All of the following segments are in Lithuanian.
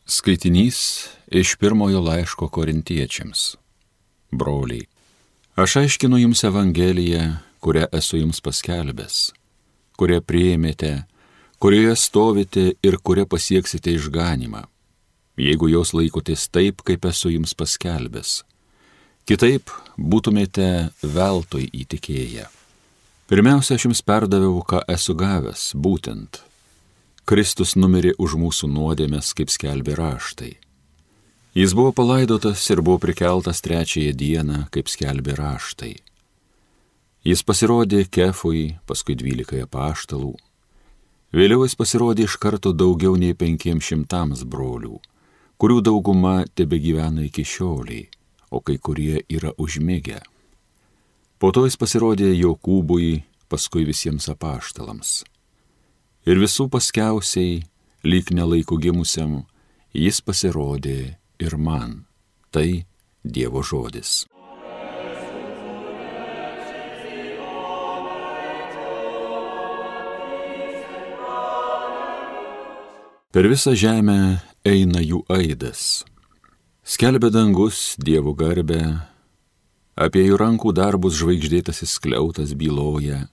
Skaitinys iš pirmojo laiško Korintiečiams. Broliai, aš aiškinu jums Evangeliją, kurią esu jums paskelbęs, kurią priėmėte, kurioje stovite ir kurią pasieksite išganymą, jeigu jos laikotės taip, kaip esu jums paskelbęs. Kitaip būtumėte veltui įtikėję. Pirmiausia, aš jums perdaviau, ką esu gavęs, būtent Kristus numirė už mūsų nuodėmes, kaip skelbė raštai. Jis buvo palaidotas ir buvo prikeltas trečiąją dieną, kaip skelbė raštai. Jis pasirodė Kefui, paskui 12 apaštalų. Vėliau jis pasirodė iš karto daugiau nei 500 brolių, kurių dauguma tebegyvena iki šioliai, o kai kurie yra užmigę. Po to jis pasirodė Jokūbui, paskui visiems apaštalams. Ir visų paskiausiai, lyg nelaikų gimusiam, jis pasirodė ir man. Tai Dievo žodis. Per visą žemę eina jų aidas. Skelbia dangus Dievo garbę, apie jų rankų darbus žvaigždėtasis skliautas byloja.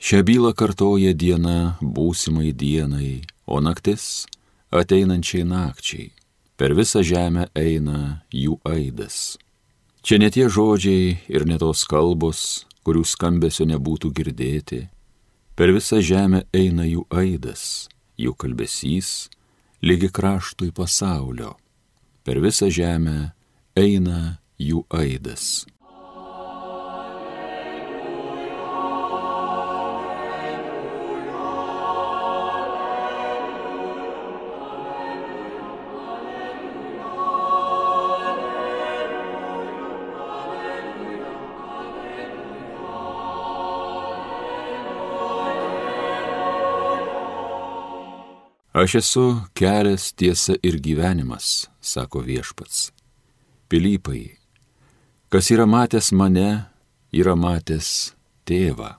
Šią bylą kartoja diena būsimai dienai, o naktis ateinančiai nakčiai. Per visą žemę eina jų aidas. Čia ne tie žodžiai ir ne tos kalbos, kurių skambesio nebūtų girdėti. Per visą žemę eina jų aidas, jų kalbesys, lygi kraštui pasaulio. Per visą žemę eina jų aidas. Aš esu kelias, tiesa ir gyvenimas, sako Viešpats. Pilypai, kas yra matęs mane, yra matęs Tėvą.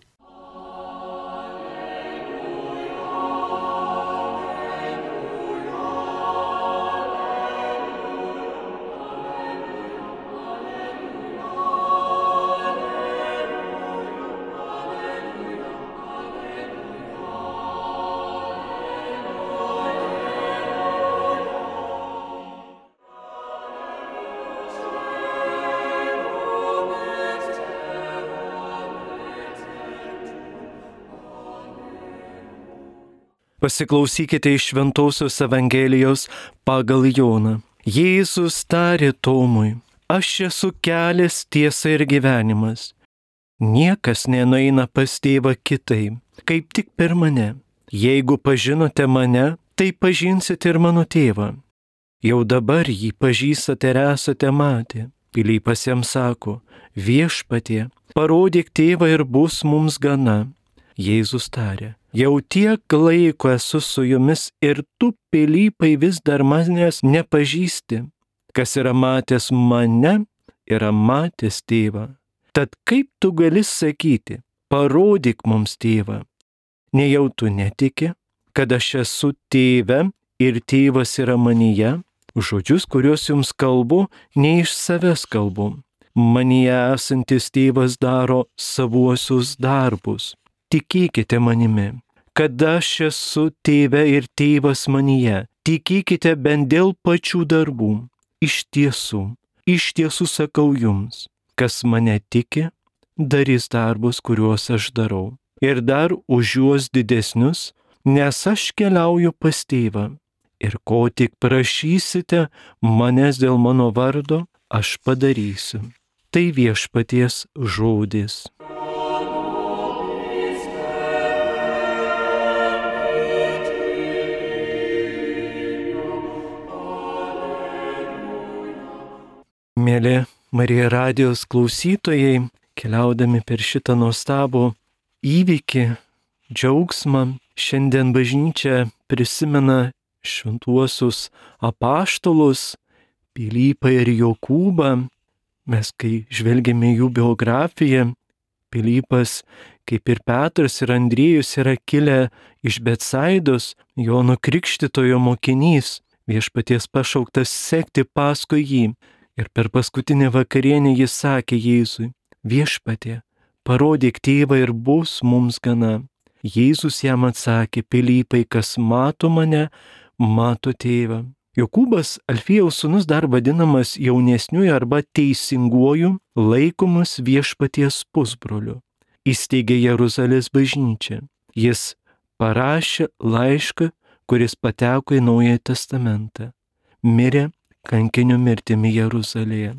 Pasiklausykite iš Šventosios Evangelijos pagal Joną. Jėzus tarė Tomui, aš esu kelias, tiesa ir gyvenimas. Niekas nenueina pas Tėvą kitaip, kaip tik per mane. Jeigu pažinote mane, tai pažinsite ir mano Tėvą. Jau dabar jį pažįstate ir esate matę. Pilypas jam sako, Viešpatie, parodyk Tėvą ir bus mums gana. Jėzus tarė, jau tiek laiko esu su jumis ir tu, Pilypai, vis dar manęs nepažįsti. Kas yra matęs mane, yra matęs Tėvą. Tad kaip tu gali sakyti, parodyk mums Tėvą? Nejau tu netiki, kad aš esu Tėve ir Tėvas yra manyje? Žodžius, kuriuos jums kalbu, ne iš savęs kalbu. Manyje esantis Tėvas daro savuosius darbus. Tikėkite manimi, kad aš esu Tėve ir Tėvas manyje. Tikėkite bent dėl pačių darbų. Iš tiesų sakau jums, kas mane tiki, darys darbus, kuriuos aš darau. Ir dar už juos didesnius, nes aš keliauju pas Tėvą. Ir ko tik prašysite manęs dėl mano vardo, aš padarysiu. Tai Viešpaties žodis. Mėly Marija radijos klausytojai, keliaudami per šitą nuostabų įvykį, džiaugsmą, šiandien bažnyčia prisimena šventuosius apaštalus, Pilypą ir Jokūbą. Mes, kai žvelgiame jų biografiją, Pilypas, kaip ir Petras ir Andriejus, yra kilę iš Betsaidos, Jono Krikštytojo mokinys. viešpaties pašauktas sekti paskui jį. Ir per paskutinę vakarienę jis sakė Jėzui: Viešpatie, parodyk tėvą ir bus mums gana. Jėzus jam atsakė: Pilypai, kas mato mane, mato tėvą. Jokūbas, Alfiejaus sūnus, dar vadinamas jaunesniuoju arba teisinguoju, laikomas viešpaties pusbroliu. Įsteigė Jeruzalės bažnyčią. Jis parašė laišką, kuris pateko į Naująjį testamentą. Mirė kankinio mirtimi Jeruzalėje.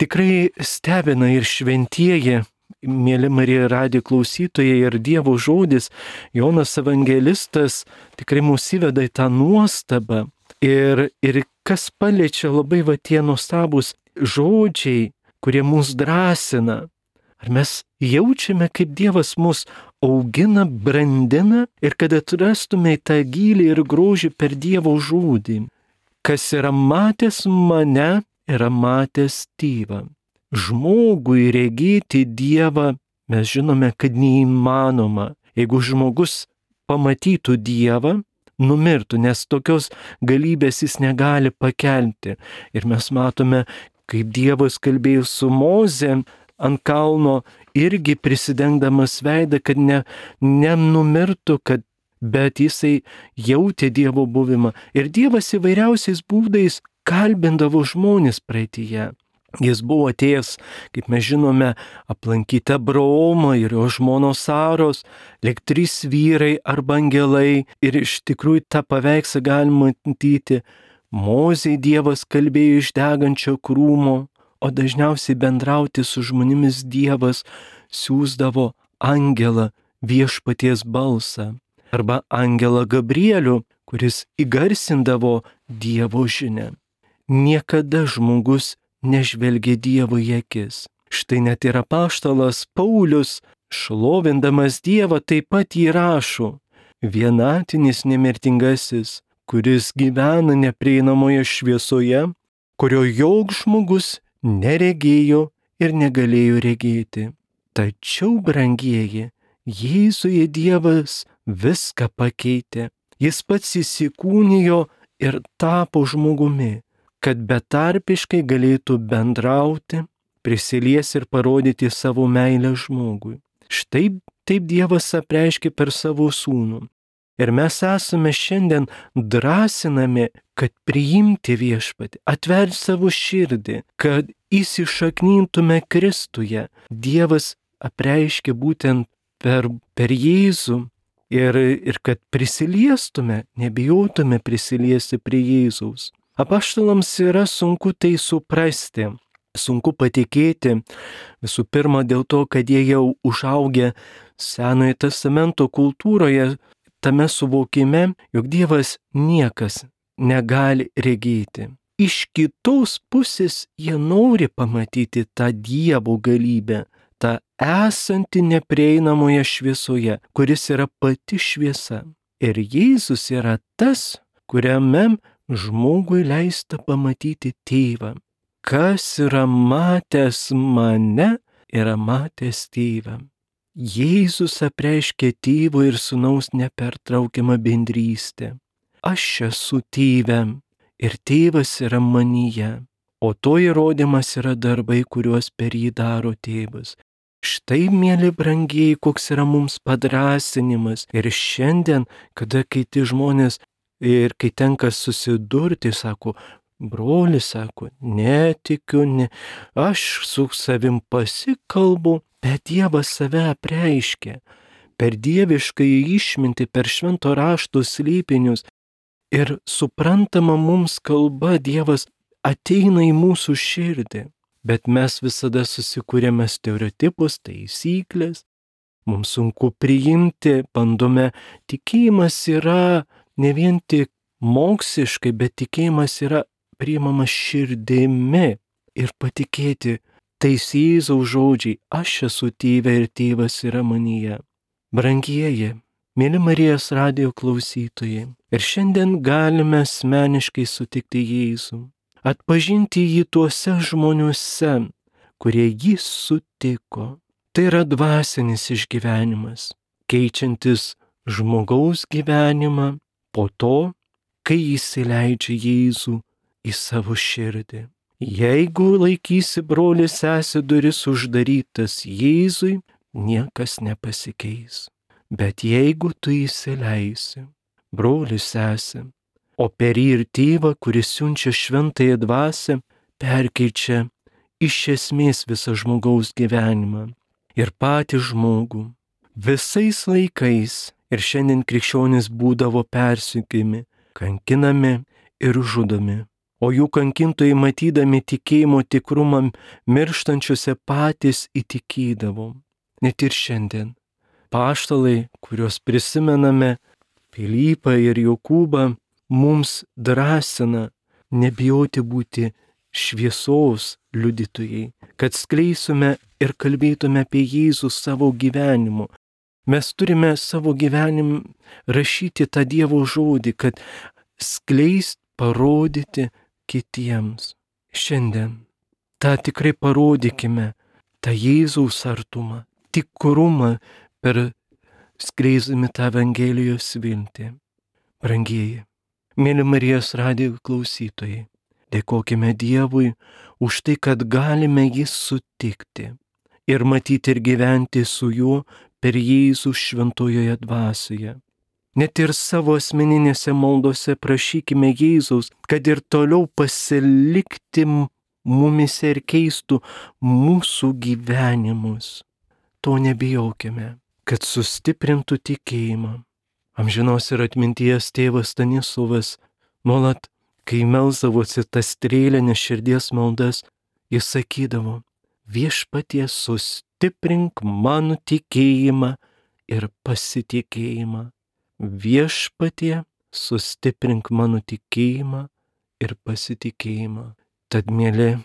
Tikrai stebina ir šventieji, mėly Marija radijo klausytojai, ir Dievo žodis, Jonas evangelistas tikrai mus įveda į tą nuostabą. Ir kas paliečia labai va tie nuostabūs žodžiai, kurie mus drąsina. Ar mes jaučiame, kaip Dievas mus augina, brandina ir kad atrastume tą gylį ir grožį per Dievo žodį. Kas yra matęs mane, yra matęs tėvą. Žmogui regėti Dievą mes žinome, kad neįmanoma. Jeigu žmogus pamatytų Dievą, numirtų, nes tokios galybės jis negali pakelti. Ir mes matome, kaip Dievas kalbėjo su Moze ant kalno, irgi prisidengdamas veidą, kad nenumirtų, bet jisai jautė Dievo buvimą. Ir Dievas įvairiausiais būdais kalbindavo žmonės praeityje. Jis buvo atėjęs, kaip mes žinome, aplankyti Abraomą ir jo žmonos Saros, lyg 3 vyrai arba angelai. Ir iš tikrųjų tą paveikslą galima matyti. Mozei Dievas kalbėjo iš degančio krūmo, o dažniausiai bendrauti su žmonėmis Dievas siųsdavo angelą, viešpaties balsą, arba angelą Gabrielių, kuris įgarsindavo Dievo žinią. Niekada žmogus nežvelgia Dievo į akis. Štai net ir apaštalas Paulius, šlovindamas Dievą, taip pat jį rašo: vienatinis nemirtingasis, kuris gyvena neprieinamoje šviesoje, kurio joks žmogus neregėjo ir negalėjo regėti. Tačiau, brangieji, Jėzuje Dievas viską pakeitė. Jis pats įsikūnijo ir tapo žmogumi, kad betarpiškai galėtų bendrauti, prisilies ir parodyti savo meilę žmogui. Štai taip Dievas apreiškė per savo sūnų. Ir mes esame šiandien drąsinami, kad priimti viešpatį, atverti savo širdį, kad įsišaknintume Kristuje. Dievas apreiškė būtent per Jėzų ir kad prisiliestume, nebijotume prisiliesti prie Jėzaus. Apaštalams yra sunku tai suprasti, sunku patikėti, visų pirma dėl to, kad jie jau užaugę Senojo testamento kultūroje, tame suvokime, jog Dievas niekas negali regėti. Iš kitos pusės jie nori pamatyti tą Dievo galybę, tą esantį neprieinamoje šviesoje, kuris yra pati šviesa. Ir Jėzus yra tas, kuriame žmogui leista pamatyti tėvą. Kas yra matęs mane, yra matęs tėvą. Jėzus apreiškė tėvo ir sūnaus nepertraukiamą bendrystę. Aš esu tėve ir tėvas yra manyje, o to įrodymas yra darbai, kuriuos per jį daro tėvas. Štai, mėly brangieji, koks yra mums padrąsinimas. Ir šiandien, kada kiti žmonės ir kai tenka susidurti, sako, brolis, sako, netikiu, aš su savim pasikalbu, bet Dievas save apreiškia per dievišką išmintį, per švento rašto slėpinius. Ir suprantama mums kalba Dievas ateina į mūsų širdį. Bet mes visada susikūrėme stereotipus, taisyklės, mums sunku priimti, bandome, tikėjimas yra ne vien tik moksliškai, bet tikėjimas yra priimamas širdimi ir patikėti tais Jėzaus žodžiai, aš esu tėve ir tėvas yra manyje. Brangieji, mėly Marijos radijo klausytojai, ir šiandien galime asmeniškai sutikti Jėzų. Atpažinti jį tuose žmoniuose, kurie jį sutiko. Tai yra dvasinis išgyvenimas, keičiantis žmogaus gyvenimą po to, kai įsileidžia Jėzų į savo širdį. Jeigu laikysi broli sesė duris uždarytas Jėzui, niekas nepasikeis. Bet jeigu tu įsileisi broli sesė, o per jį ir tėvą, kuris siunčia šventąją dvasią, perkeičia iš esmės visą žmogaus gyvenimą ir patį žmogų. Visais laikais ir šiandien krikščionys būdavo persekiojami, kankinami ir žudomi. O jų kankintojai, matydami tikėjimo tikrumą mirštančiuose, patys įtikėdavo. Net ir šiandien. Apaštalai, kuriuos prisimename, Pilypą ir Jokūbą, mums drąsina nebijoti būti šviesos liudytojai, kad skleisume ir kalbėtume apie Jėzų savo gyvenimu. Mes turime savo gyvenim rašyti tą Dievo žodį, kad skleist, parodyti kitiems. Šiandien tą tikrai parodykime, tą Jėzaus artumą, tikrumą per skleisdami tą Evangelijos viltį. Brangieji, mėly Marijos radijo klausytojai, dėkokime Dievui už tai, kad galime jį sutikti ir matyti ir gyventi su juo per Jėzų šventojoje dvasioje. Net ir savo asmeninėse maldose prašykime Jėzaus, kad ir toliau pasilikti mumise ir keistų mūsų gyvenimus. To nebijokime, kad sustiprintų tikėjimą. Amžinos ir atminties tėvas Stanislovas nuolat, kai melsdavosi tas strėlinės širdies maldas, jis sakydavo: Viešpatie, sustiprink mano tikėjimą ir pasitikėjimą. Viešpatie, sustiprink mano tikėjimą ir pasitikėjimą. Tad, mėly,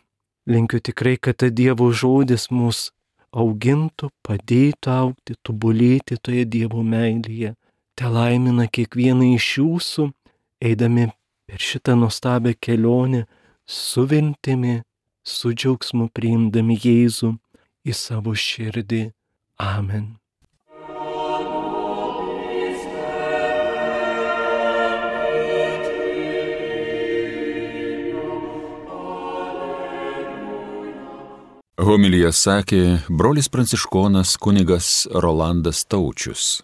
linkiu tikrai, kad ta Dievo žodis mus augintų, padėtų augti, tobulėti toje Dievo meilėje. Te laimina kiekvieną iš jūsų, eidami per šitą nuostabią kelionę, su viltimi, su džiaugsmu priimdami Jėzų į savo širdį. Amen. Homiliją sakė brolis pranciškonas kunigas Rolandas Taučius.